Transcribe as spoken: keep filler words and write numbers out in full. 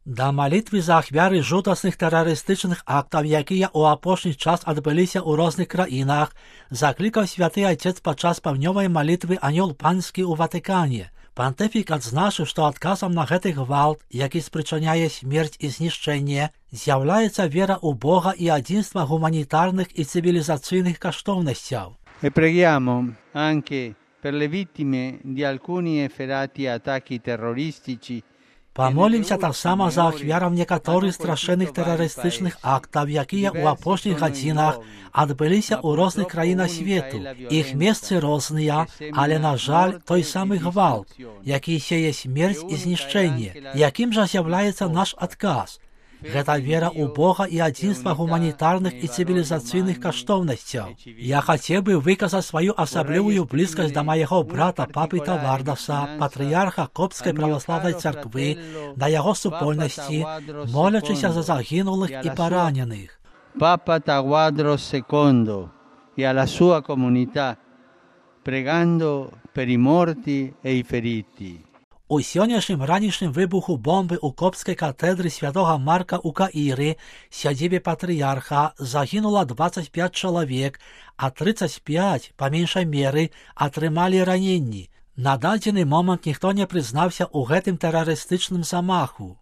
Да малітвы за ахвяры жудасных тэрарыстычных актаў, якія ў апошні час адбыліся ў розных краінах, заклікаў святы Айцец падчас паўднёвай малітвы Анёл Панскі ў Ватыкане. Пантыфік адзначыў, што адказам на гэты гвалт, які спрычыняе смерць і знішчэнне, з'яўляецца вера ў Бога і адзінства гуманітарных і цывілізацыйных каштоўнасцяў. E preghiamo anche per le vittime di alcuni efferati attacchi terroristici. Памолімся таксама за ахвяраў некаторых страшэнных тэрарыстычных актаў, якія ў апошніх гадзінах адбыліся ў розных краінах свету. Іх месцы розныя, але, на жаль, той самы гвалт, які сее смерць і знішчэнне. Якім жа з'яўляецца наш адказ? Гэта вера ў Бога і адзінства гуманітарных і цывілізацыйных каштоўнасцяў. Я хацеў бы выказаць сваю асаблівую блізкасць да майго брата папы Тавардаса, патрыярха Копскай праваслаўнай царквы, да яго супольнасці, молячыся за загінулых і параненых. Papa Tawadros secondo e alla sua comunità, pregando per i morti e i feriti. У сённяшнім ранішнім выбуху бомбы ў Копскай катэдры святога Марка ў Каіры, сядзібе патрыярха, загінула дваццаць пяць чалавек, а трыццаць пяць, па меншай меры, атрымалі раненні. На дадзены момант ніхто не прызнаўся ў гэтым тэрарыстычным замаху.